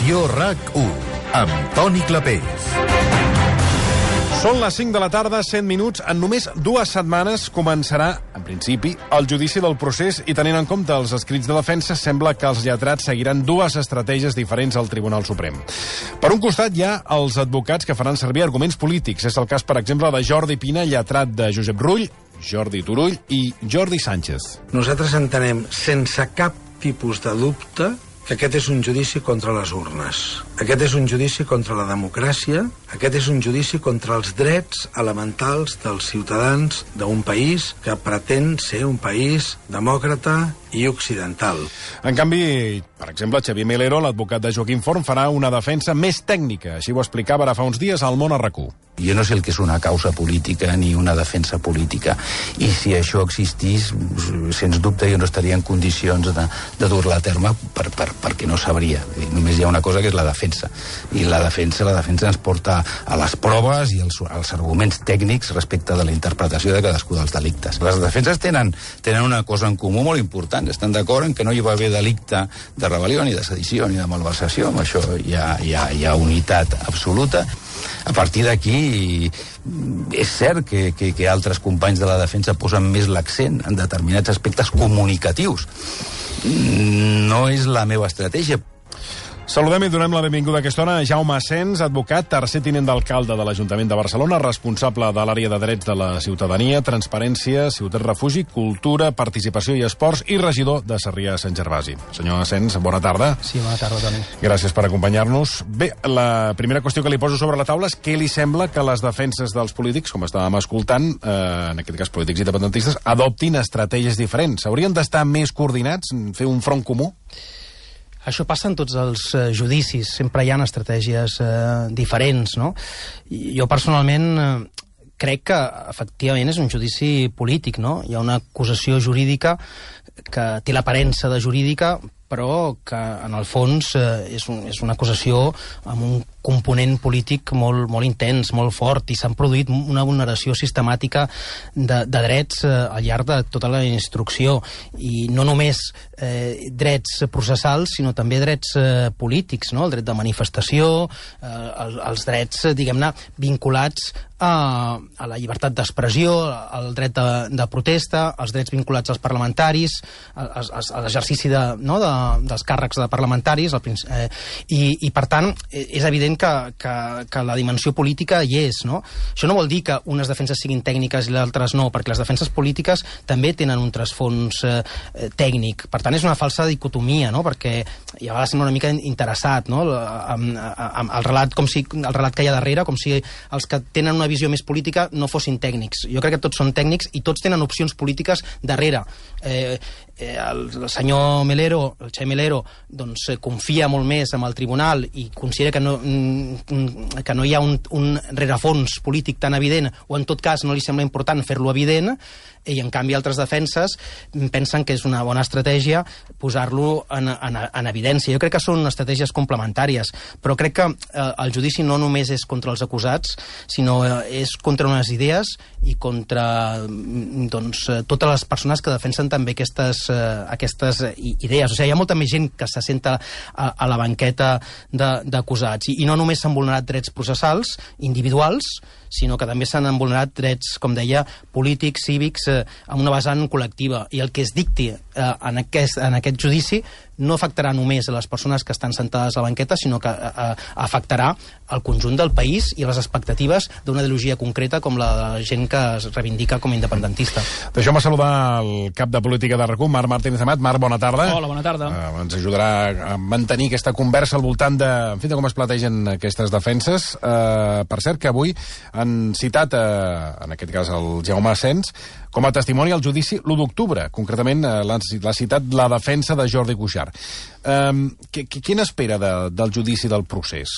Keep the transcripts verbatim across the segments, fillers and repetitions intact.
Edició RAC u, amb Toni Clapés. Són les cinc de la tarda, cent minuts. En només dues setmanes començarà, en principi, el judici del procés i tenint en compte els escrits de defensa, sembla que els lletrats seguiran dues estratègies diferents al Tribunal Suprem. Per un costat hi ha els advocats que faran servir arguments polítics. És el cas, per exemple, de Jordi Pina, lletrat de Josep Rull, Jordi Turull i Jordi Sánchez. Nosaltres entenem sense cap tipus de dubte que aquest és un judici contra les urnes. Aquest és un judici contra la democràcia, aquest és un judici contra els drets elementals dels ciutadans d'un país que pretén ser un país demòcrata i occidental. En canvi, per exemple, Xavier Melero, l'advocat de Joaquim Forn, farà una defensa més tècnica. Així ho explicava ara fa uns dies al Món a RAC u. Jo no sé el que és una causa política ni una defensa política. I si això existís, sens dubte jo no estaria en condicions de, de dur-la a terme per, per, perquè no sabria. Només hi ha una cosa que és la defensa. I la defensa, la defensa ens porta a les proves i als, als arguments tècnics respecte de la interpretació de cadascú dels delictes. Les defenses tenen, tenen una cosa en comú molt important. Estan d'acord en que no hi va haver delicte de rebel·lió, ni de sedició, ni de malversació. Amb això hi ha, hi ha, hi ha unitat absoluta. A partir d'aquí, és cert que, que, que altres companys de la defensa posen més l'accent en determinats aspectes comunicatius. No és la meva estratègia. Saludem i donem la benvinguda a aquesta hora a Jaume Asens, advocat, tercer tinent d'alcalde de l'Ajuntament de Barcelona, responsable de l'àrea de drets de la ciutadania, transparència, ciutat refugi, cultura, participació i esports i regidor de Sarrià-Sant Gervasi. Senyor Asens, bona tarda. Sí, bona tarda, Toni. Gràcies per acompanyar-nos. Bé, la primera qüestió que li poso sobre la taula és què li sembla que les defenses dels polítics, com estàvem escoltant, eh, en aquest cas polítics independentistes, adoptin estratègies diferents. Haurien d'estar més coordinats, fer un front comú? Això passa en tots els eh, judicis, sempre hi ha estratègies eh, diferents, no? I jo personalment eh, crec que efectivament és un judici polític, no? Hi ha una acusació jurídica que té l'aparença de jurídica, però que en el fons eh, és, un, és una acusació amb un component polític molt, molt intens, molt fort, i s'han produït una vulneració sistemàtica de, de drets eh, al llarg de tota la instrucció, i no només eh, drets processals, sinó també drets eh, polítics, no? El dret de manifestació, eh, el, els drets, diguem-ne, vinculats a, a la llibertat d'expressió, al dret de, de protesta, els drets vinculats als parlamentaris, a, a, a l'exercici de, no, de, dels càrrecs de parlamentaris, el, eh, i, i per tant és evident que, que, que la dimensió política hi és, no? Això no vol dir que unes defenses siguin tècniques i les altres no, perquè les defenses polítiques també tenen un trasfons eh, tècnic. Per tant, és una falsa dicotomia, no? Perquè ja va ser una mica interessat, no? Amb, amb el relat, com si, el relat que hi ha darrere, com si els que tenen una visió més política no fossin tècnics. Jo crec que tots són tècnics i tots tenen opcions polítiques darrere. Eh, eh, el, el senyor Melero, el Xavier Melero, doncs eh, confia molt més en el tribunal i considera que no, que no hi ha un, un rerefons polític tan evident, o en tot cas no li sembla important fer-lo evident, i en canvi altres defenses pensen que és una bona estratègia posar-lo en, en, en evidència. Jo crec que són estratègies complementàries, però crec que eh, el judici no només és contra els acusats, sinó eh, és contra unes idees i contra doncs, totes les persones que defensen també aquestes, eh, aquestes idees. O sigui, hi ha molta més gent que se senta a, a la banqueta d'acusats, i, i no només s'han vulnerat drets processals individuals, sinó que també s'han vulnerat drets, com deia, polítics, cívics, eh, amb una vessant col·lectiva. I el que es dicti eh, en, aquest, en aquest judici no afectarà només a les persones que estan sentades a la banqueta, sinó que eh, afectarà el conjunt del país i les expectatives d'una ideologia concreta com la de la gent que es reivindica com a independentista. Deixeu-me saludar el cap de política de RAC u, Marc Martínez Amat. Marc, bona tarda. Hola, bona tarda. Uh, ens ajudarà a mantenir aquesta conversa al voltant de, en fi, de com es plantegen aquestes defenses. Uh, per cert, que avui han citat, uh, en aquest cas, el Jaume Asens, com a testimoni al judici l'u d'octubre. Concretament, uh, l'ha citat la defensa de Jordi Cuixart. Um, Què n'espera de, del judici del procés?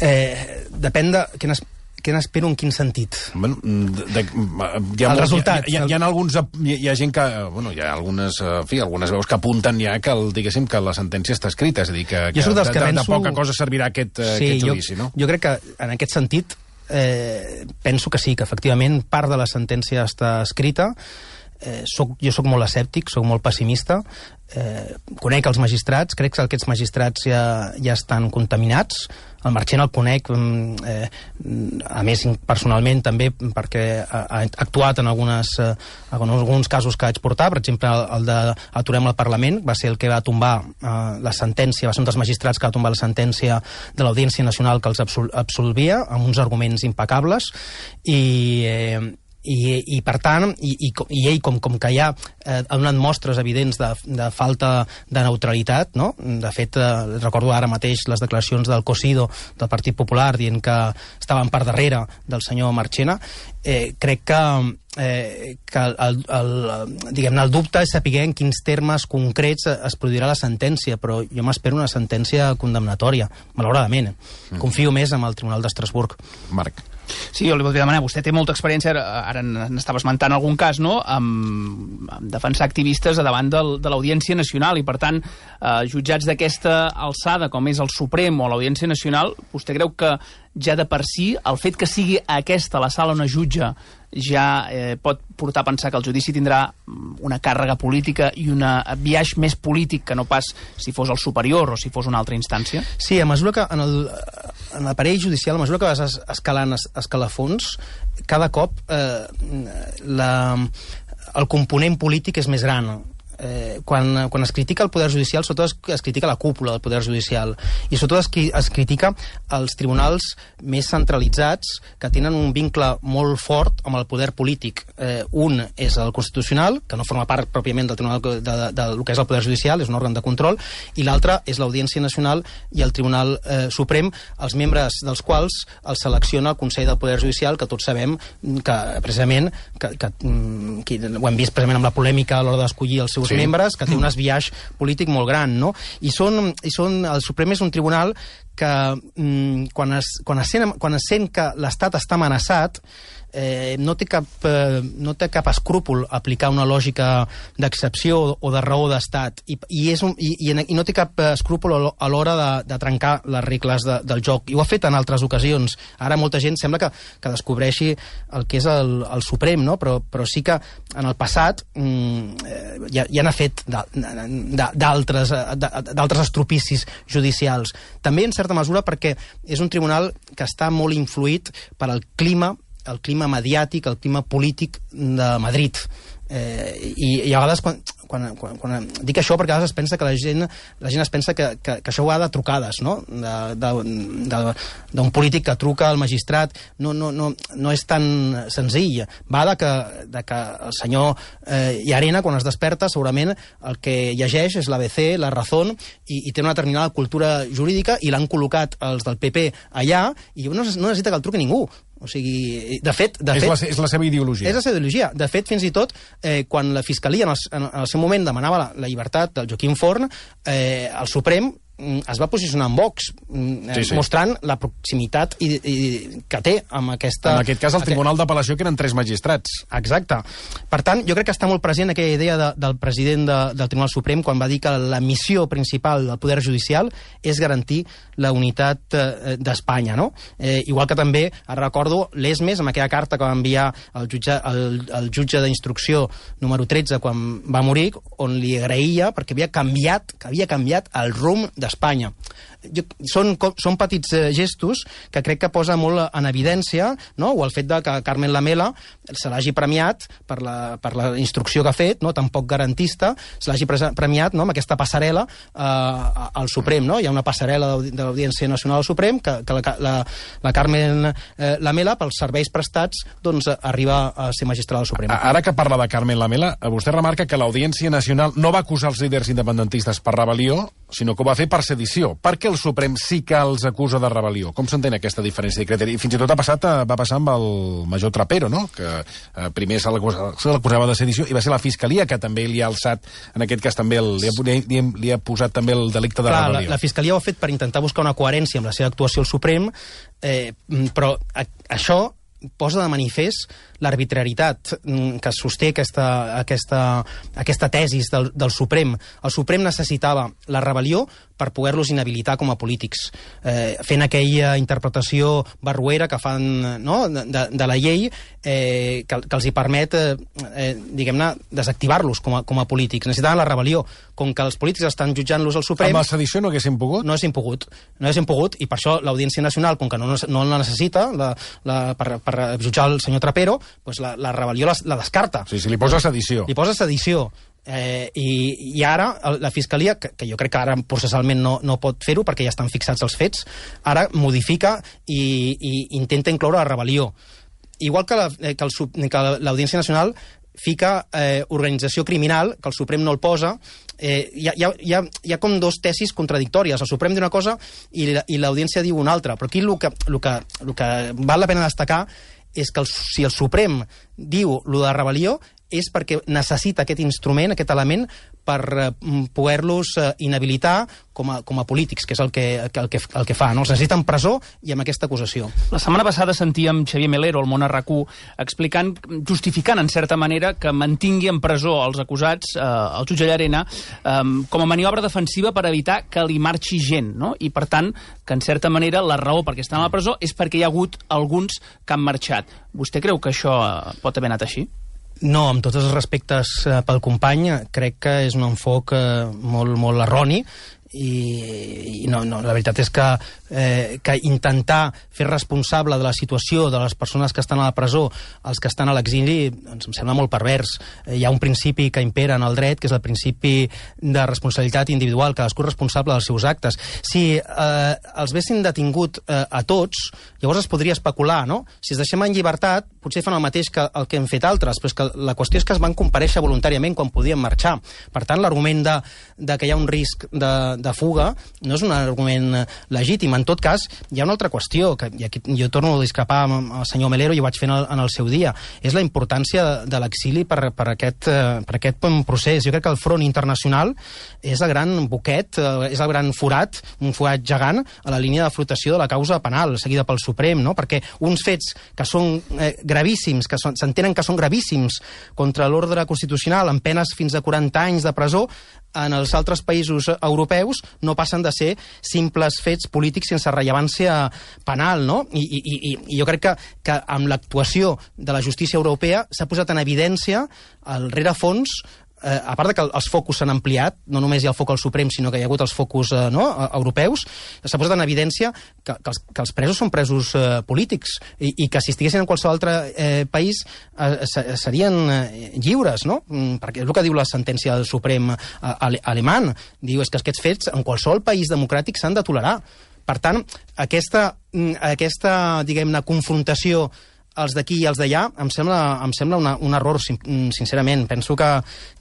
Eh, depèn de... Quines... Què n'espero en quin sentit? Bueno, de, de, hi ha el molt, resultat. Hi ha, hi, ha, hi ha alguns, hi, hi ha gent que, bueno, hi ha algunes, en fi, algunes veus que apunten ja que, el, diguéssim, que la sentència està escrita, és a dir, que, que, de, que de, penso... de poca cosa servirà aquest, sí, aquest judici, jo, no? Jo crec que en aquest sentit eh, penso que sí, que efectivament part de la sentència està escrita. eh, soc, jo sóc molt escèptic, sóc molt pessimista, eh, conec els magistrats, crec que aquests magistrats ja, ja estan contaminats. El Marchena el conec, eh, a més personalment també, perquè ha, ha actuat en, algunes, eh, en alguns casos que vaig portar, per exemple el de Aturem el Parlament, va ser el que va tombar eh, la sentència, va ser un dels magistrats que va tombar la sentència de l'Audiència Nacional que els absol absolvia, amb uns arguments impecables, i... Eh, I, i per tant, i, i, i ell com, com que ja eh, ha donat mostres evidents de, de falta de neutralitat, no? De fet, eh, recordo ara mateix les declaracions del Cosido del Partit Popular dient que estaven per darrere del senyor Marchena, eh, crec que Eh, que el, el, diguem-ne, el dubte és saber en quins termes concrets es produirà la sentència, però jo m'espero una sentència condemnatòria, malauradament. Mm. Confio més en el Tribunal d'Estrasburg. Marc. Sí, jo li voldria demanar, vostè té molta experiència, ara n'estava esmentant algun cas, no?, amb, amb defensar activistes a davant del, de l'Audiència Nacional, i per tant, eh, jutjats d'aquesta alçada, com és el Suprem o l'Audiència Nacional, vostè creu que ja de per si, el fet que sigui aquesta la sala on es jutja ja eh, pot portar a pensar que el judici tindrà una càrrega política i un biaix més polític que no pas si fos el superior o si fos una altra instància? Sí, a mesura que en el, en l'aparell judicial, a mesura que vas escalant escalafons, cada cop eh, la, el component polític és més gran. Eh, quan, quan es critica el Poder Judicial, sobretot es, es critica la cúpula del Poder Judicial, i sobretot es, es critica els tribunals més centralitzats que tenen un vincle molt fort amb el poder polític. Eh, un és el Constitucional, que no forma part pròpiament del tribunal de, de, de, del que és el Poder Judicial, és un òrgan de control, i l'altre és l'Audiència Nacional i el Tribunal eh, Suprem, els membres dels quals els selecciona el Consell del Poder Judicial, que tots sabem que precisament que, que, que ho hem vist precisament amb la polèmica a l'hora d'escollir els seus sí. membres, que té un esbiaix polític molt gran, no? I són, i són, el Suprem és un tribunal que mm, quan, es, quan, es sent, quan es sent que l'Estat està amenaçat, eh, no, té cap, eh, no té cap escrúpol aplicar una lògica d'excepció o de raó d'Estat, i, i, és un, i, i no té cap escrúpol a l'hora de, de trencar les regles de, del joc, i ho ha fet en altres ocasions. Ara molta gent sembla que, que descobreixi el que és el, el Suprem, no? però, però sí que en el passat mm, ja, ja n'ha fet d'altres d'altres estropicis judicials. També en certa mesura perquè és un tribunal que està molt influït per al clima el clima mediàtic, el clima polític de Madrid. Eh, i, i a vegades quan, quan, quan, quan dic això perquè a vegades es pensa que la gent, la gent es pensa que, que, que això va de trucades, no? D'un polític que truca al magistrat. No, no, no, no és tan senzill. Va de que, de que el senyor eh, Llarena, quan es desperta, segurament el que llegeix és l'A B C, la Razón, i, i té una determinada cultura jurídica, i l'han col·locat els del P P allà, i no, no necessita que el truqui ningú. O sigui, de fet... De és, fet la, és la seva ideologia. És la seva ideologia. De fet, fins i tot, eh, quan la Fiscalia en el, en el seu moment demanava la, la llibertat del Joaquim Forn, eh, el Suprem es va posicionar en Vox, eh, sí, sí. mostrant la proximitat i, i, que té amb aquesta... En aquest cas, el Tribunal d'Apel·lació, que eren tres magistrats. Exacte. Per tant, jo crec que està molt present aquella idea de, del president de, del Tribunal Suprem quan va dir que la missió principal del Poder Judicial és garantir la unitat eh, d'Espanya, no? Eh, igual que també, recordo, l'Esmes, amb aquella carta que va enviar el jutge, el, el jutge d'instrucció número tretze quan va morir, on li agraïa perquè havia canviat, que havia canviat el rumb d'Espanya. Jo, són, són petits eh, gestos que crec que posa molt en evidència, no? O el fet de que Carmen Lamela se l'hagi premiat per la, per la instrucció que ha fet, no? Tampoc garantista, se l'hagi premiat, no? Amb aquesta passarel·la eh, al Suprem, no? Hi ha una passarel·la de l'Audiència Nacional al Suprem que, que la, la, la Carmen eh, Lamela, pels serveis prestats, doncs arriba a ser magistral al Suprem. Ara que parla de Carmen Lamela, vostè remarca que l'Audiència Nacional no va acusar els líders independentistes per rebel·lió, sinó que ho va fer per sedició. Per què el Suprem sí que els acusa de rebel·lió? Com s'entén aquesta diferència de criteri? Fins i tot ha passat, va passar amb el major Trapero, no? Que eh, primer se l'acusava de sedició i va ser la Fiscalia que també li ha alçat, en aquest cas també el, li, ha, li, li ha posat també el delicte de Clar, rebel·lió. La, la Fiscalia ho ha fet per intentar buscar una coherència amb la seva actuació al Suprem, eh, però a, això posa de manifest l'arbitrarietat que sosté aquesta, aquesta, aquesta tesis del, del Suprem. El Suprem necessitava la rebel·lió per poder-los inhabilitar com a polítics, eh, fent aquella interpretació barroera que fan, no?, de, de la llei, eh, que, que els hi permet, eh, diguem-ne, desactivar-los com a, com a polítics. Necessitaven la rebel·lió. Com que els polítics estan jutjant-los al Suprem... Amb la sedició no haguéssim pogut? No haguéssim pogut. No haguéssim pogut, i per això l'Audiència Nacional, com que no, no la necessita la, la, per, per jutjar el senyor Trapero, doncs la, la rebel·lió la, la descarta. Sí, sí, li posa sedició. Li posa sedició. Eh, i, I ara la Fiscalia, que, que jo crec que ara processalment no, no pot fer-ho perquè ja estan fixats els fets, ara modifica i, i intenta incloure la rebel·lió. Igual que, la, que, el, que l'Audiència Nacional fica eh, organització criminal, que el Suprem no el posa. Eh, hi, ha, hi, ha, hi ha com dos tesis contradictòries. El Suprem diu una cosa i, i l'Audiència diu una altra. Però aquí el que, el que, el que val la pena destacar és que el, si el Suprem diu lo de rebel·lió és perquè necessita aquest instrument, aquest element, per eh, poder-los eh, inhabilitar com a, com a polítics, que és el que, el que, el que fa, no? Els necessiten presó i amb aquesta acusació. La setmana passada sentíem Xavier Melero, al Món RAC u, explicant, justificant, en certa manera, que mantingui en presó els acusats, eh, el jutge Llarena, eh, com a maniobra defensiva per evitar que li marxi gent, no? I, per tant, que, en certa manera, la raó perquè estan a la presó és perquè hi ha hagut alguns que han marxat. Vostè creu que això pot haver anat així? No, amb tots els respectes eh, pel company, crec que és un enfoc eh, molt, molt erroni, i, i no, no, la veritat és que, eh, que intentar fer responsable de la situació de les persones que estan a la presó, els que estan a l'exili, doncs em sembla molt pervers. Eh, hi ha un principi que impera en el dret, que és el principi de responsabilitat individual, cadascú és responsable dels seus actes. Si eh, els haguessin detingut eh, a tots, llavors es podria especular, no? Si es deixem en llibertat, potser fan el mateix que el que han fet altres, però és que la qüestió és que es van comparèixer voluntàriament quan podien marxar. Per tant, l'argument de, de que hi ha un risc de, de fuga no és un argument legítim. En tot cas, hi ha una altra qüestió, que i aquí jo torno a discrepar amb el senyor Melero, i ho vaig fer en el, en el seu dia, és la importància de l'exili per, per, aquest, per aquest procés. Jo crec que el front internacional és el gran boquet, és el gran forat, un forat gegant a la línia de flotació de la causa penal, seguida pel Suprem, no? Perquè uns fets que són eh, gravíssims, que s'entenen que són gravíssims contra l'ordre constitucional, amb penes fins a quaranta anys de presó, en els altres països europeus no passen de ser simples fets polítics sense rellevància penal, no? I, i, i, i jo crec que, que amb l'actuació de la justícia europea s'ha posat en evidència el rerefons. Eh, a part de que els focus s'han ampliat, no només hi ha el foc al Suprem, sinó que hi ha hagut els focus eh, no, europeus, s'ha posat en evidència que, que, els, que els presos són presos eh, polítics, i, i que si estiguessin en qualsevol altre eh, país eh, serien eh, lliures, no? Perquè és el que diu la sentència del Suprem eh, ale, alemany. Diu és que aquests fets en qualsevol país democràtic s'han de tolerar. Per tant, aquesta, aquesta diguem-ne, confrontació els d'aquí i els d'allà, em sembla, em sembla una, un error, sincerament. Penso que,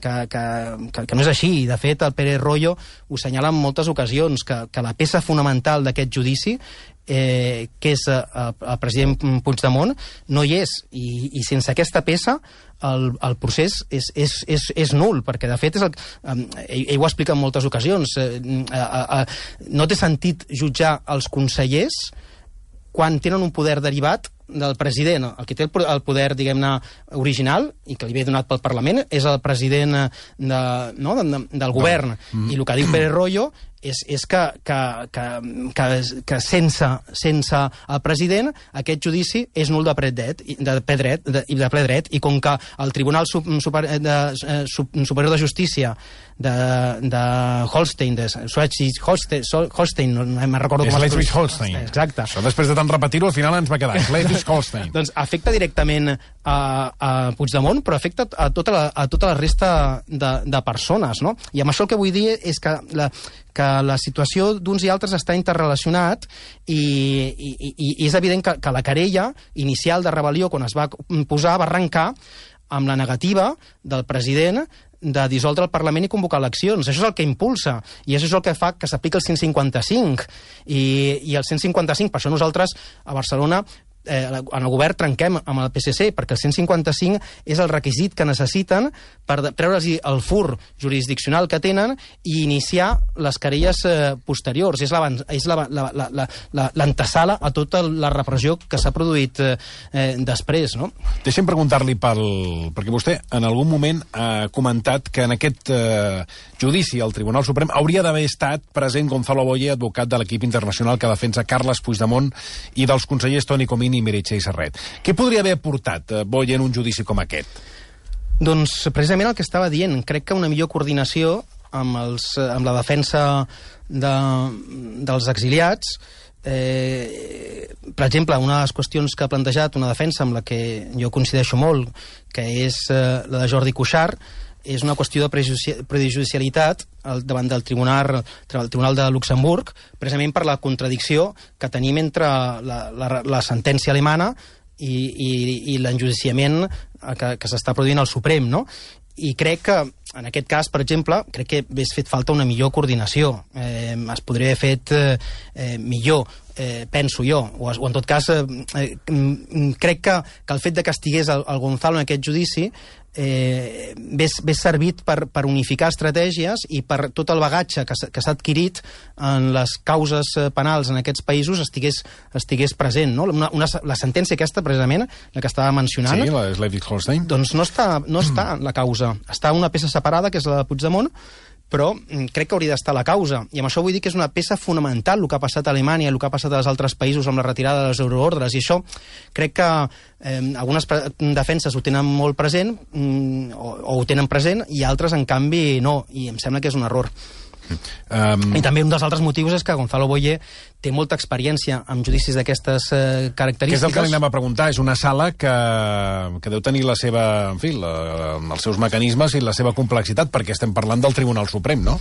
que, que, que, que no és així. De fet, el Pérez Royo ho assenyala en moltes ocasions, que, que la peça fonamental d'aquest judici, eh, que és eh, el president Puigdemont, no hi és. I, i sense aquesta peça el, el procés és, és, és, és nul, perquè de fet és el, eh, ell, ell ho explica en moltes ocasions. Eh, eh, eh, no té sentit jutjar els consellers quan tenen un poder derivat del president. El que té el poder, diguem-ne, original, i que li ve donat pel Parlament, és el president de, no, de, del govern. Mm. I el que diu Pérez Royo és, és que, que, que, que, que sense, sense el president aquest judici és nul de ple dret, de ple dret, de, de ple dret, i com que el Tribunal Super, de, Superior de Justícia de, de Holstein, de Schleswig-Holstein, Holstein, no me'n recordo com... Schleswig-Holstein. Exacte. Això després de tant repetir-ho, al final ens va quedar Schleswig-Holstein. Doncs afecta directament a, a Puigdemont, però afecta a tota la, a tota la resta de, de persones, no? I amb això el que vull dir és que la, que la situació d'uns i altres està interrelacionat, i, i, i és evident que, que la querella inicial de rebel·lió, quan es va posar, va arrencar amb la negativa del president de dissoldre el Parlament i convocar eleccions. Això és el que impulsa, i això és el que fa que s'apliqui el cent cinquanta-cinc. I, i el cent cinquanta-cinc, per això nosaltres a Barcelona eh, en el govern trenquem amb el P S C, perquè el cent cinquanta-cinc és el requisit que necessiten per treure'ls el fur jurisdiccional que tenen i iniciar les querelles eh, posteriors. És l'antesala a tota la repressió que s'ha produït eh, eh, després, no? Deixem preguntar-li pel... perquè vostè en algun moment ha comentat que en aquest eh, judici al Tribunal Suprem hauria d'haver estat present Gonzalo Boye, advocat de l'equip internacional que defensa Carles Puigdemont, i dels consellers Toni Comín i Meritxell Serret. Què podria haver portat eh, Boye en un judici com aquest? Doncs precisament el que estava dient. Crec que una millor coordinació amb, els, amb la defensa de, dels exiliats. Eh, per exemple, una de les qüestions que ha plantejat, una defensa amb la que jo coincideixo molt, que és eh, la de Jordi Cuixart, és una qüestió de prejudicialitat davant del tribunal, el Tribunal de Luxemburg, precisament per la contradicció que tenim entre la, la, la sentència alemana i, i, i l'enjudiciament que, que s'està produint al Suprem, no? I crec que, en aquest cas, per exemple, crec que hagués fet falta una millor coordinació. Eh, es podria haver fet eh, millor, eh, penso jo, o, o en tot cas, eh, crec que, que el fet de que estigués el, el Gonzalo en aquest judici eh, hagués servit per, per unificar estratègies i per tot el bagatge que, que s'ha adquirit en les causes penals en aquests països estigués, estigués present, no? Una, una, la sentència aquesta, precisament, la que estava mencionant... Sí, la de Schleswig-Holstein. Doncs no està, no està en la causa. Està una peça separada, que és la de Puigdemont, però crec que hauria d'estar a la causa. I amb això vull dir que és una peça fonamental el que ha passat a Alemanya, el que ha passat als altres països amb la retirada dels euroordres, i això crec que eh, algunes defenses ho tenen molt present, mm, o, o ho tenen present, i altres, en canvi, no. I em sembla que és un error. Um... I també un dels altres motius és que Gonzalo Boye té molta experiència amb judicis d'aquestes eh, característiques. Que és el que li anem a preguntar. És una sala que, que deu tenir la seva, en fi, la, els seus mecanismes i la seva complexitat, perquè estem parlant del Tribunal Suprem, no?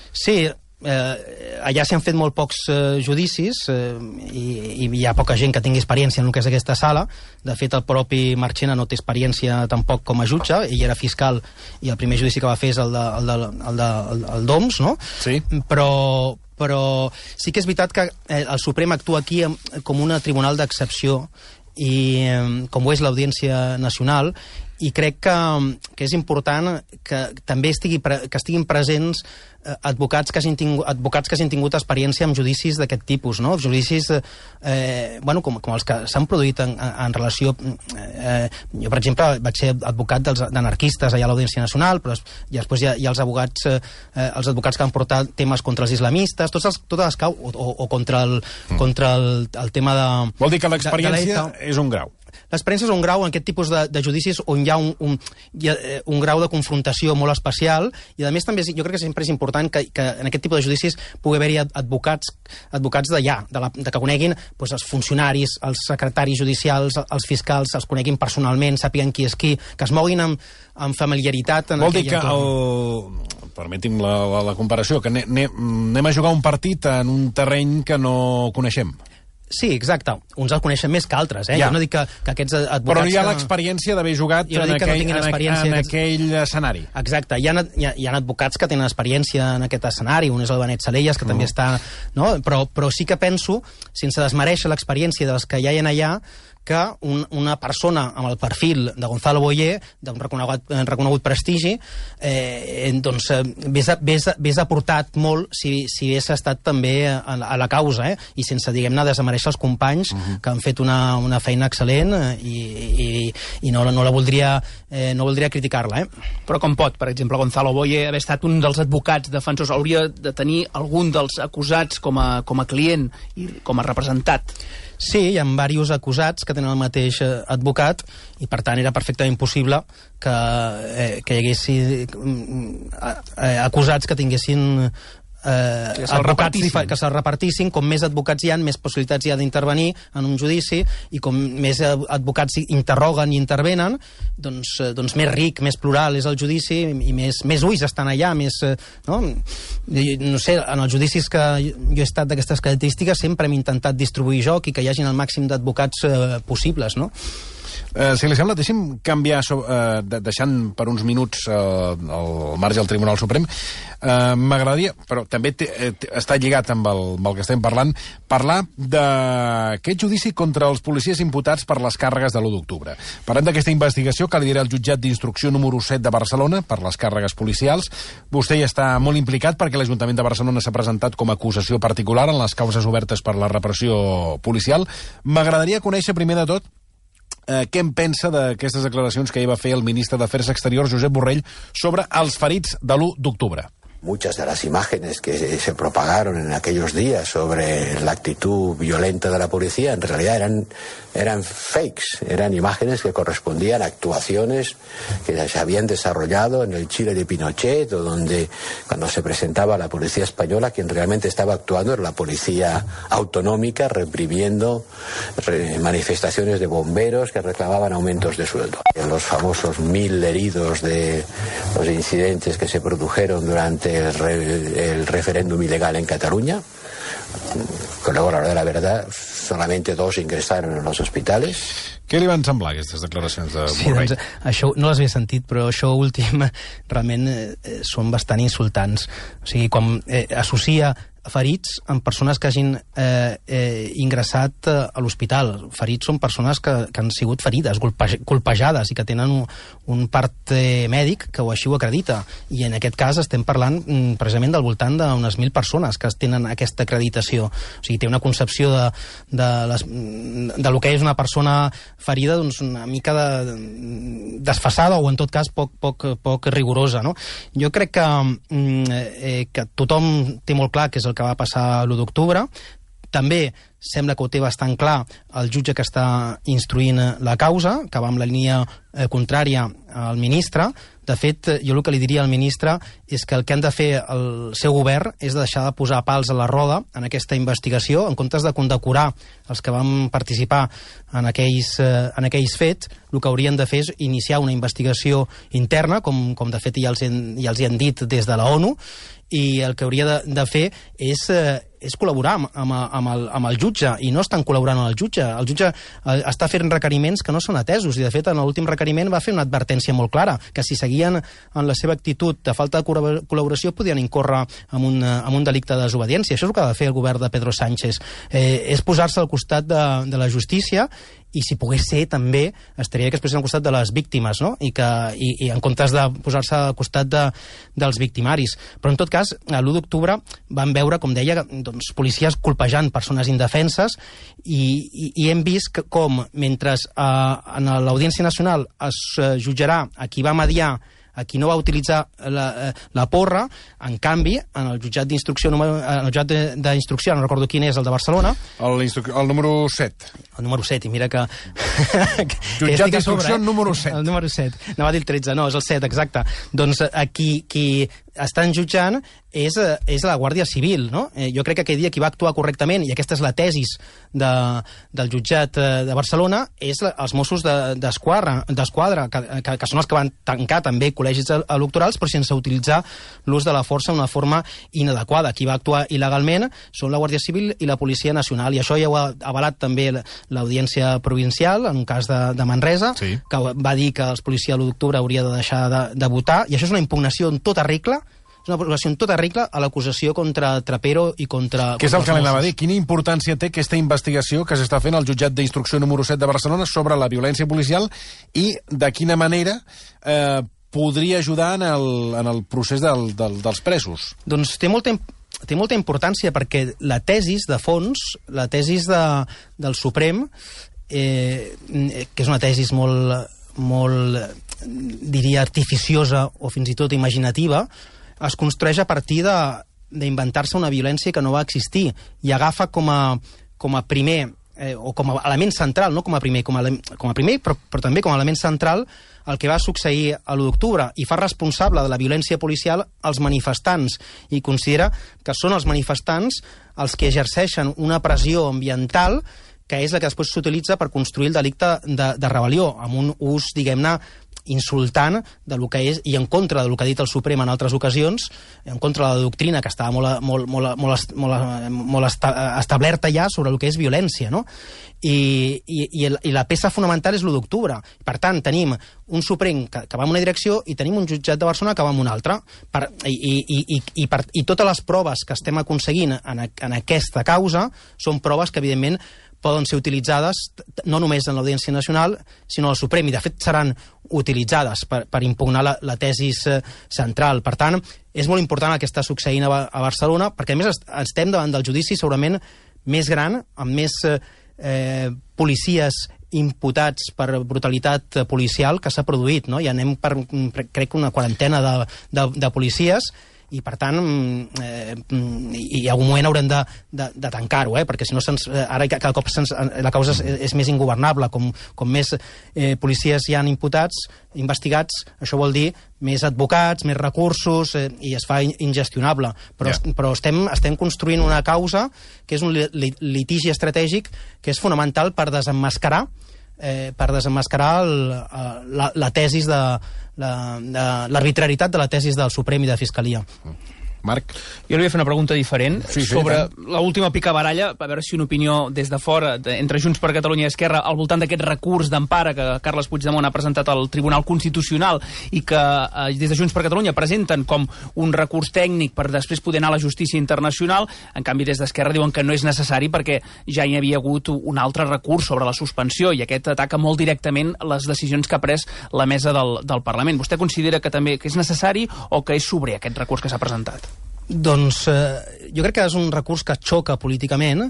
Sí, eh, allà s'hi han fet molt pocs eh, judicis eh, i, i hi ha poca gent que tingui experiència en el que és aquesta sala. De fet, el propi Marchena no té experiència tampoc com a jutge, ell era fiscal i el primer judici que va fer és el de, el de, el de, el, el d'O M S, no? Sí. Però, però sí que és veritat que eh, el Suprem actua aquí com un tribunal d'excepció, i eh, com ho és l'Audiència Nacional, i crec que, que és important que també estigui, que estiguin presents eh, advocats, que hagin tingut, advocats que hagin tingut experiència amb judicis d'aquest tipus, no? Judicis eh, bueno, com, com els que s'han produït en, en relació... Eh, jo, per exemple, vaig ser advocat dels d'anarquistes allà a l'Audiència Nacional, però i després hi ha, hi ha els advocats eh, els advocats que han portat temes contra els islamistes, tots els, totes les cau, o, o, o contra, el, mm. contra el, el tema de... Vol dir que l'experiència és un grau. L'experiència és un grau en aquest tipus de, de judicis on hi ha, un, un, hi ha un grau de confrontació molt especial, i a més també jo crec que sempre és important que, que en aquest tipus de judicis pugui haver-hi advocats advocats d'allà, de, la, de que coneguin doncs, els funcionaris, els secretaris judicials, els fiscals, els coneguin personalment, sàpiguen qui és qui, que es moguin amb, amb familiaritat en Vol dir que entorn. el... permeti'm la, la, la comparació, que anem, anem a jugar un partit en un terreny que no coneixem. Sí, exacte. Uns el coneixen més que altres, eh? Ja. Jo no dic que, que aquests advocats... Però no hi ha l'experiència d'haver jugat no en, aquell, no en, en aquell escenari. Exacte. Hi ha, hi, ha, hi ha advocats que tenen experiència en aquest escenari. Un és el Benet Salellas, que uh. també està... No? Però, però sí que penso, sense desmereixer l'experiència dels que ja hi ha allà, que un, una persona amb el perfil de Gonzalo Boye, d'un reconegut, reconegut prestigi, eh, doncs hagués aportat molt si, si hagués estat també a, a la causa, eh? I sense, diguem-ne, desmereixer els companys uh-huh. que han fet una, una feina excel·lent i, i, i no, no la voldria, eh, no voldria criticar-la. Eh? Però com pot, per exemple, Gonzalo Boye haver estat un dels advocats defensors? Hauria de tenir algun dels acusats com a, com a client i com a representat? Sí, hi ha diversos acusats que tenen el mateix advocat i, per tant, era perfectament possible que, eh, que hi hagués eh, acusats que tinguessin eh, que se'l repartissin. que se'l repartissin. Com més advocats hi ha, més possibilitats hi ha d'intervenir en un judici, i com més advocats interroguen i intervenen, doncs, doncs més ric, més plural és el judici, i més, més ulls estan allà, més... No? no sé, en els judicis que jo he estat d'aquestes característiques sempre hem intentat distribuir joc i que hi hagin el màxim d'advocats eh, possibles, no? Eh, si li sembla, deixi'm canviar, so, eh, de, deixant per uns minuts eh, el marge al Tribunal Suprem. Eh, M'agradaria, però també té, té, està lligat amb el, amb el que estem parlant, parlar d'aquest judici contra els policies imputats per les càrregues de l'u d'octubre. Parlem d'aquesta investigació que lidera el jutjat d'instrucció número set de Barcelona per les càrregues policials. Vostè hi està molt implicat perquè l'Ajuntament de Barcelona s'ha presentat com a acusació particular en les causes obertes per la repressió policial. M'agradaria conèixer primer de tot eh, què en pensa d'aquestes declaracions que ahir va fer el ministre d'Afers Exteriors, Josep Borrell, sobre els ferits de l'u d'octubre. Muchas de las imágenes que se propagaron en aquellos días sobre la actitud violenta de la policía en realidad eran, eran fakes, eran imágenes que correspondían a actuaciones que se habían desarrollado en el Chile de Pinochet, o donde cuando se presentaba la policía española, quien realmente estaba actuando era la policía autonómica, reprimiendo manifestaciones de bomberos que reclamaban aumentos de sueldo. Los famosos mil heridos de los incidentes que se produjeron durante el, re, el referéndum ilegal en Cataluña, que luego, a la hora de la verdad, solamente dos ingresaron en los hospitales. Què li van semblar aquestes declaracions de sí, Borrell? Doncs, això no les havia sentit, però això últim realment eh, són bastant insultants. O sigui, quan eh, associa ferits amb persones que hagin eh, eh, ingressat eh, a l'hospital. Ferits són persones que, que han sigut ferides, colpejades, i que tenen un, un part eh, mèdic que ho així ho acredita. I en aquest cas estem parlant mm, precisament del voltant d'unes mil persones que tenen aquesta acreditació. O sigui, té una concepció de, de, les, de lo que és una persona ferida, doncs, una mica de, desfasada, o en tot cas poc, poc, poc rigorosa, no? Jo crec que, eh, que tothom té molt clar que és el que va passar l'u d'octubre. També sembla que ho té bastant clar el jutge que està instruint la causa, que va amb la línia eh, contrària al ministre. De fet, jo el que li diria al ministre és que el que han de fer el seu govern és deixar de posar pals a la roda en aquesta investigació, en comptes de condecorar els que van participar en aquells, eh, en aquells fets. El que haurien de fer és iniciar una investigació interna, com, com de fet ja els, han, ja els hi han dit des de la ONU, i el que hauria de, de fer és, eh, és col·laborar amb, amb, amb, el, amb el jutge, i no estan col·laborant amb el jutge. El jutge eh, està fent requeriments que no són atesos, i de fet en l'últim requeriment va fer una advertència molt clara, que si seguien en la seva actitud de falta de col·laboració podien incórrer en un, en un delicte de desobediència. Això és el que ha de fer el govern de Pedro Sánchez, eh, és posar-se al costat de, de la justícia, i si pogués ser també estaria que es posessin al costat de les víctimes, no? I, que, i, i en comptes de posar-se al costat de, dels victimaris. Però en tot cas, l'u d'octubre van veure, com deia, doncs, policies colpejant persones indefenses, i, i, i hem vist que, com mentre eh, en l'Audiència Nacional es eh, jutjarà a qui va mediar, a qui no va utilitzar la, la porra, en canvi, en el jutjat d'instrucció, en el jutjat d'instrucció, no recordo quin és, el de Barcelona... El, el número set. El número set, i mira que... Jutjat d'instrucció eh? número set. El número set. No va dir el tretze, no, és el set, exacte. Doncs aquí qui estan jutjant és, és la Guàrdia Civil, no? Eh, jo crec que aquell dia qui va actuar correctament, i aquesta és la tesis de, del jutjat de Barcelona, és la, els Mossos d'Esquadra, de, que, que, que són els que van tancar també col·legis electorals, però sense utilitzar l'ús de la força d'una forma inadequada. Qui va actuar il·legalment són la Guàrdia Civil i la Policia Nacional, i això ja ho ha avalat també l'Audiència Provincial, en un cas de, de Manresa, sí, que va dir que els policies l'u d'octubre hauria de deixar de, de votar, i això és una impugnació en tota regla, és una aprovació en tota regla a l'acusació contra Trapero i contra... Què és el que l'anava a dir? Quina importància té aquesta investigació que s'està fent al jutjat d'instrucció número set de Barcelona sobre la violència policial, i de quina manera eh, podria ajudar en el, en el procés del, del, dels presos? Doncs té molta, té molta importància, perquè la tesis de fons, la tesis de, del Suprem, eh, que és una tesis molt, molt, diria, artificiosa o fins i tot imaginativa, es construeix a partir d'inventar-se una violència que no va existir, i agafa com a, com a primer, eh, o com a element central, no com a primer, com a, com a primer però, però també com a element central, el que va succeir a l'u d'octubre, i fa responsable de la violència policial als manifestants, i considera que són els manifestants els que exerceixen una pressió ambiental que és la que després s'utilitza per construir el delicte de, de rebel·lió, amb un ús, diguem-ne, insultant de lo que és, i en contra de lo que ha dit el Suprem en altres ocasions, en contra de la doctrina que estava molt, molt, molt, molt, molt, molt establerta ja sobre el que és violència, no? I, i, i la peça fonamental és l'u d'octubre. Per tant, tenim un Suprem que, que va en una direcció i tenim un jutjat de Barcelona que va en una altra. Per, i, i, i, i, per, I totes les proves que estem aconseguint en, en aquesta causa són proves que, evidentment, poden ser utilitzades no només en l'Audiència Nacional, sinó al Suprem, i de fet seran utilitzades per, per impugnar la, la tesis central. Per tant, és molt important el que està succeint a, a Barcelona, perquè a més estem davant del judici segurament més gran, amb més eh, policies imputats per brutalitat policial que s'ha produït, no? I anem per, crec, una quarantena de, de, de policies, i per tant eh, i a algun moment haurem de, de, de tancar-ho, eh? Perquè si no se'ns, ara cada cop se'ns, la causa és, és més ingovernable, com, com més eh, policies hi han imputats, investigats, això vol dir més advocats, més recursos, eh, i es fa ingestionable, però, yeah. però estem, estem construint una causa que és un litigi estratègic que és fonamental per desemmascarar Eh, per desemmascarar el, la, la tesis de l'arbitrarietat de la tesis del Suprem i de Fiscalia. Marc? Jo li voy a fer una pregunta diferent sí, sí, sobre tant. l'última picabaralla, a veure si una opinió des de fora, de, entre Junts per Catalunya i Esquerra, al voltant d'aquest recurs d'empara que Carles Puigdemont ha presentat al Tribunal Constitucional i que eh, des de Junts per Catalunya presenten com un recurs tècnic per després poder anar a la justícia internacional. En canvi, des d'Esquerra diuen que no és necessari perquè ja hi havia hagut un altre recurs sobre la suspensió, i aquest ataca molt directament les decisions que ha pres la mesa del, del Parlament. Vostè considera que també que és necessari o que és sobrer aquest recurs que s'ha presentat? Doncs eh, jo crec que és un recurs que xoca políticament,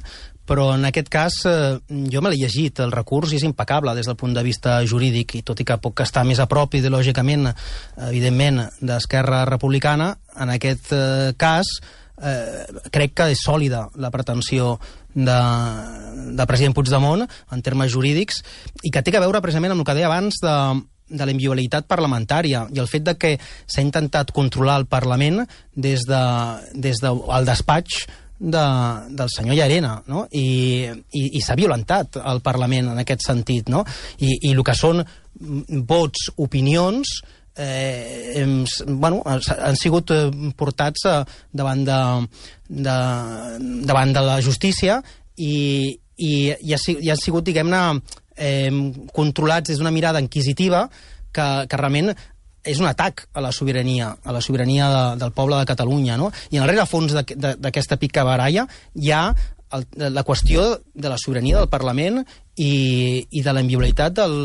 però en aquest cas eh, jo me l'he llegit, el recurs és impecable des del punt de vista jurídic, i tot i que puc estar més a prop ideològicament, evidentment, d'Esquerra Republicana, en aquest eh, cas eh, crec que és sòlida la pretensió de, de president Puigdemont en termes jurídics, i que té a veure precisament amb el que deia abans de de la inviolabilitat parlamentària i el fet de que s'ha intentat controlar el Parlament des, de, des del despatx de, del senyor Llarena, no? I, i, i s'ha violentat el Parlament en aquest sentit, no? I, i el que són vots, opinions, eh, hem, bueno, han sigut portats eh, davant, de, de, davant de la justícia i, i, i, ha, i han sigut, diguem-ne, Eh, controlats des d'una mirada inquisitiva que, que realment és un atac a la sobirania, a la sobirania de, del poble de Catalunya, no? I en el rerefons d'aquesta picabaralla hi ha el, la qüestió de la sobirania del Parlament i, i de la inviolabilitat, del,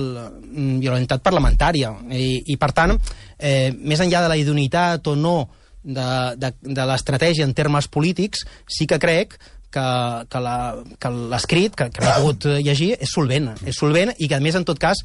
inviolabilitat parlamentària. I, i per tant, eh, més enllà de la idoneïtat o no de, de, de l'estratègia en termes polítics, sí que crec que, que, la, que l'escrit que, que he pogut llegir és solvent, és solvent, i que a més, en tot cas,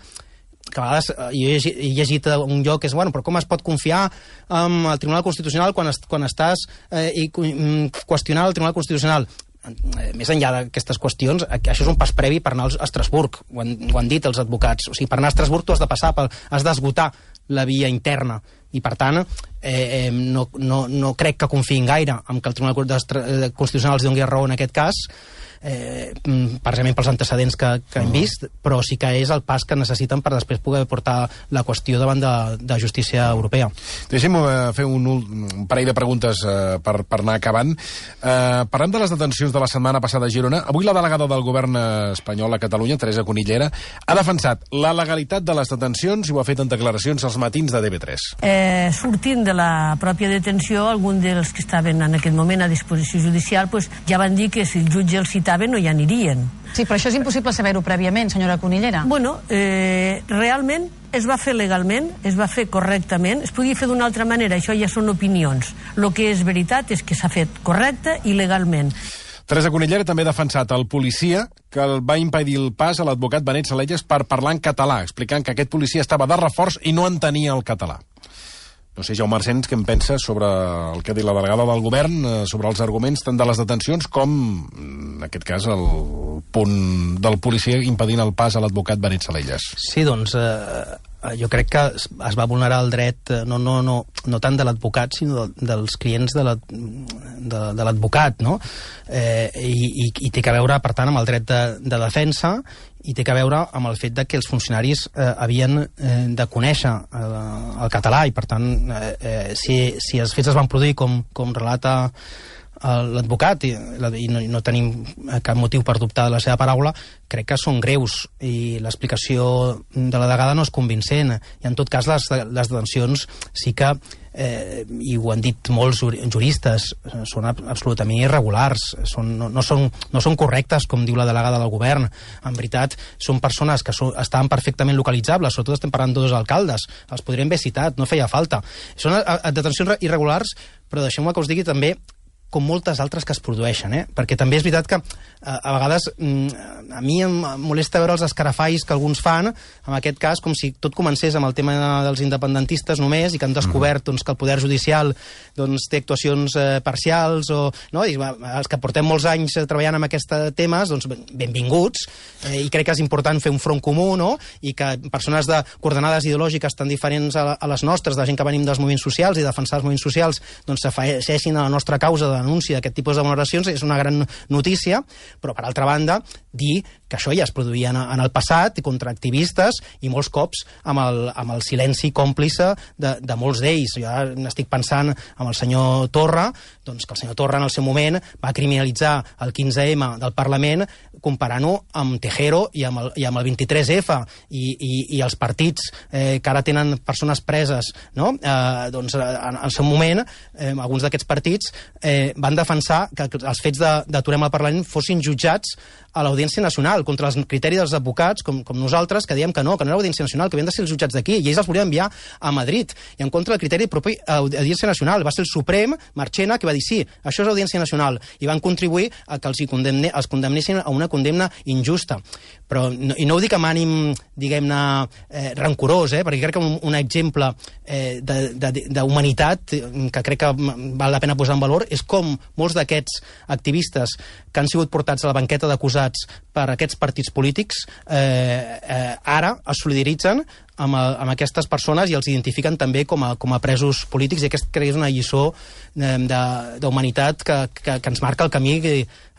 que a vegades jo he llegit, he llegit un lloc que és, bueno, però com es pot confiar en el Tribunal Constitucional quan, es, quan estàs eh, i qüestionant el Tribunal Constitucional? Eh, més enllà d'aquestes qüestions, això és un pas previ per anar a Estrasburg, ho han, ho han dit els advocats. O sigui, per anar a Estrasburg tu has de passar, per, has d'esgotar la via interna, i per tant eh, eh, no, no, no crec que confiïn gaire en que el Tribunal Constitucional els doni raó en aquest cas, eh, precisament pels antecedents que, que hem vist, però sí que és el pas que necessiten per després poder portar la qüestió davant de, de justícia europea. Deixem eh, fer un, un parell de preguntes eh, per, per anar acabant. Eh, parlem de les detencions de la setmana passada a Girona. Avui la delegada del govern espanyol a Catalunya, Teresa Cunillera, ha defensat la legalitat de les detencions i ho ha fet en declaracions als matins de T V tres. Eh, sortint de la pròpia detenció, alguns dels que estaven en aquest moment a disposició judicial pues, ja van dir que si el jutge els citava no hi anirien. Sí, però això és impossible saber-ho prèviament, senyora Cunillera. Bueno, eh, realment es va fer legalment, es va fer correctament, es podia fer d'una altra manera, això ja són opinions. El que és veritat és que s'ha fet correcte i legalment. Teresa Cunillera també ha defensat el policia que el va impedir el pas a l'advocat Benet Salellas per parlar en català, explicant que aquest policia estava de reforç i no entenia el català. No sé, Jaume Arsens, què en pensa sobre el que ha dit la delegada del govern, sobre els arguments tant de les detencions com, en aquest cas, el punt del policia impedint el pas a l'advocat Benet Salellas? Sí, doncs, eh, jo crec que es va vulnerar el dret no, no, no, no tant de l'advocat sinó de, dels clients de l'advocat, no? Eh, i, i té que veure, per tant, amb el dret de, de defensa i té que veure amb el fet de que els funcionaris eh, havien eh, de conèixer eh, el català i, per tant, eh, eh, si, si els fets es van produir com, com relata l'advocat i, i no, no tenim cap motiu per dubtar de la seva paraula, crec que són greus i l'explicació de la delegada no és convincent i en tot cas les, les detencions sí que eh, i ho han dit molts juristes són absolutament irregulars són, no, no, són, no són correctes com diu la delegada del govern, en veritat són persones que so, estaven perfectament localitzables, sobretot estem parlant de dos alcaldes els podríem haver citat, no feia falta són a, a, detencions irregulars, però deixeu-me que us digui també com moltes altres que es produeixen, eh? Perquè també és veritat que a, a vegades a mi em molesta veure els escarafalls que alguns fan, en aquest cas com si tot comencés amb el tema dels independentistes només i que han descobert doncs, que el poder judicial doncs, té actuacions eh, parcials o, no? I els que portem molts anys treballant amb aquests temes, doncs benvinguts eh, i crec que és important fer un front comú, no? I que persones de coordenades ideològiques tan diferents a, a les nostres, de gent que venim dels moviments socials i defensar els moviments socials, doncs s'afegeixin a la nostra causa de denúncia d'aquest tipus de vulneracions és una gran notícia, però per altra banda dir que això ja es produïa en, en el passat contra activistes i molts cops amb el, amb el silenci còmplice de, de molts d'ells. Jo n'estic pensant amb el senyor Torra, doncs que el senyor Torra en el seu moment va criminalitzar el quinze ema del Parlament comparant-ho amb Tejero i amb el, i amb el vint-i-tres efa i, i, i els partits eh, que ara tenen persones preses, no? Eh, doncs en el seu moment eh, alguns d'aquests partits eh, van defensar que els fets d'Aturem al Parlament fossin jutjats a l'Audiència Nacional, contra els criteris dels advocats, com, com nosaltres, que diem que no, que no era l'Audiència Nacional, que havien de ser els jutjats d'aquí, i ells els volien enviar a Madrid, i en contra del criteri propi Audiència Nacional. Va ser el Suprem, Marchena, que va dir sí, això és Audiència Nacional, i van contribuir a que els, condemne, els condemnessin a una condemna injusta. Però, no, i no ho dic amb ànim, diguem-ne, eh, rancorós, eh, perquè crec que un, un exemple eh, d'humanitat que crec que val la pena posar en valor és com molts d'aquests activistes que han sigut portats a la banqueta d'acusats per aquests partits polítics eh, eh, ara es solidaritzen amb, amb aquestes persones i els identifiquen també com a, com a presos polítics, i aquest crec que és una lliçó eh, d'humanitat que, que, que ens marca el camí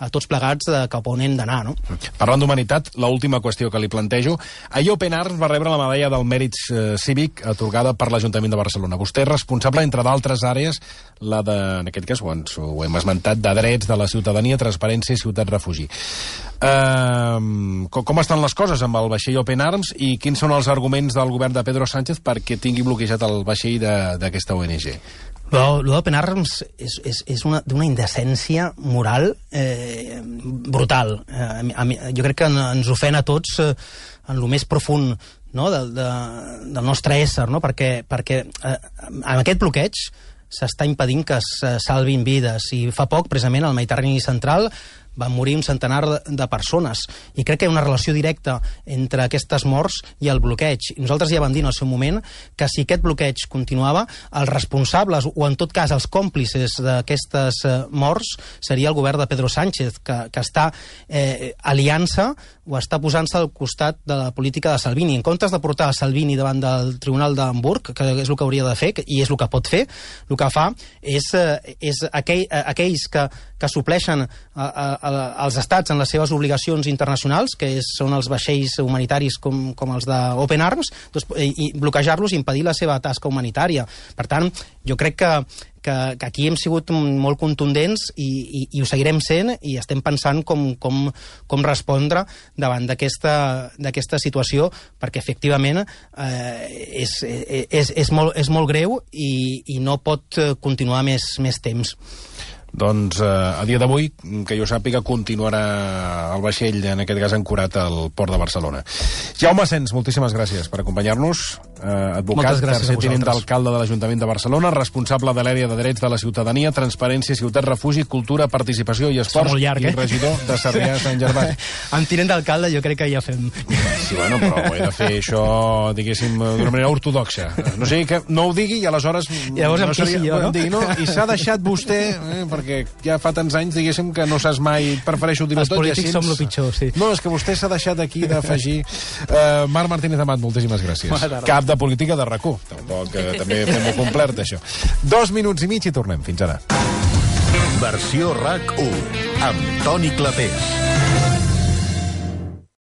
a tots plegats de cap on hem d'anar, no? Parlant d'humanitat, l'última qüestió que li plantejo. Ahir Open Arms va rebre la medalla del mèrit eh, cívic atorgada per l'Ajuntament de Barcelona. Vostè és responsable, entre d'altres àrees, la de, en aquest cas ho, ens, ho hem esmentat, de drets de la ciutadania, transparència i ciutat refugi. Uh, com, com estan les coses amb el vaixell Open Arms i quins són els arguments del govern de Pedro Sánchez perquè tingui bloquejat el vaixell d'aquesta O N G? L'Open Arms és, és, és una, d'una indecència moral eh, brutal. Eh, a mi, jo crec que ens ofèn a tots eh, en lo més profund, no? de, de, del nostre ésser, no? perquè, perquè eh, amb aquest bloqueig s'està impedint que es salvin vides, i fa poc, precisament, al Mediterrani central van morir un centenar de persones, i crec que hi ha una relació directa entre aquestes morts i el bloqueig. I nosaltres ja vam dir en el seu moment que si aquest bloqueig continuava, els responsables, o en tot cas els còmplices d'aquestes morts, seria el govern de Pedro Sánchez, que, que està eh, aliant-se o està posant-se al costat de la política de Salvini. En comptes de portar Salvini davant del Tribunal d'Hamburg, que és el que hauria de fer, i és el que pot fer, el que fa és, és aquell, aquells que, que supleixen a, a, a, als estats en les seves obligacions internacionals, que és, són els vaixells humanitaris com, com els d'Open Arms, doncs, i bloquejar-los i impedir la seva tasca humanitària. Per tant, jo crec que Que, que aquí hem sigut molt contundents i, i, i ho seguirem sent, i estem pensant com, com, com respondre davant d'aquesta situació, perquè efectivament eh, és, és, és, molt, és molt greu i, i no pot continuar més, més temps. Doncs eh, a dia d'avui, que jo sàpiga, continuarà el vaixell, en aquest cas ancorat al port de Barcelona. Jaume Sens, moltíssimes gràcies per acompanyar-nos. Eh, advocat, tercer tinent d'alcalde de l'Ajuntament de Barcelona, responsable de l'àrea de drets de la ciutadania, transparència, ciutat refugi, cultura, participació i esports, llarg, eh? I regidor de Sarrià Sant Gervasi. Amb tinent d'alcalde jo crec que ja fem... Sí, bueno, però ho he de fer això, diguéssim, d'una manera ortodoxa. No sé, que no ho digui i aleshores... Llavors em no seria, queixi jo, no? Digui, no? I s'ha deixat vostè, eh, perquè ja fa tants anys, diguéssim, que no saps mai... Prefereixo dir-ho Els tot. polítics així som lo pitjor, sí. No, és que vostè s'ha deixat aquí d'afegir... Uh, Marc Martínez Amat, moltíssimes gràcies. Cap de política de RAC u. Tampoc, eh, també fem-ho complert, això. Dos minuts i mig i tornem. Fins ara. Versió RAC u amb Toni Clapés.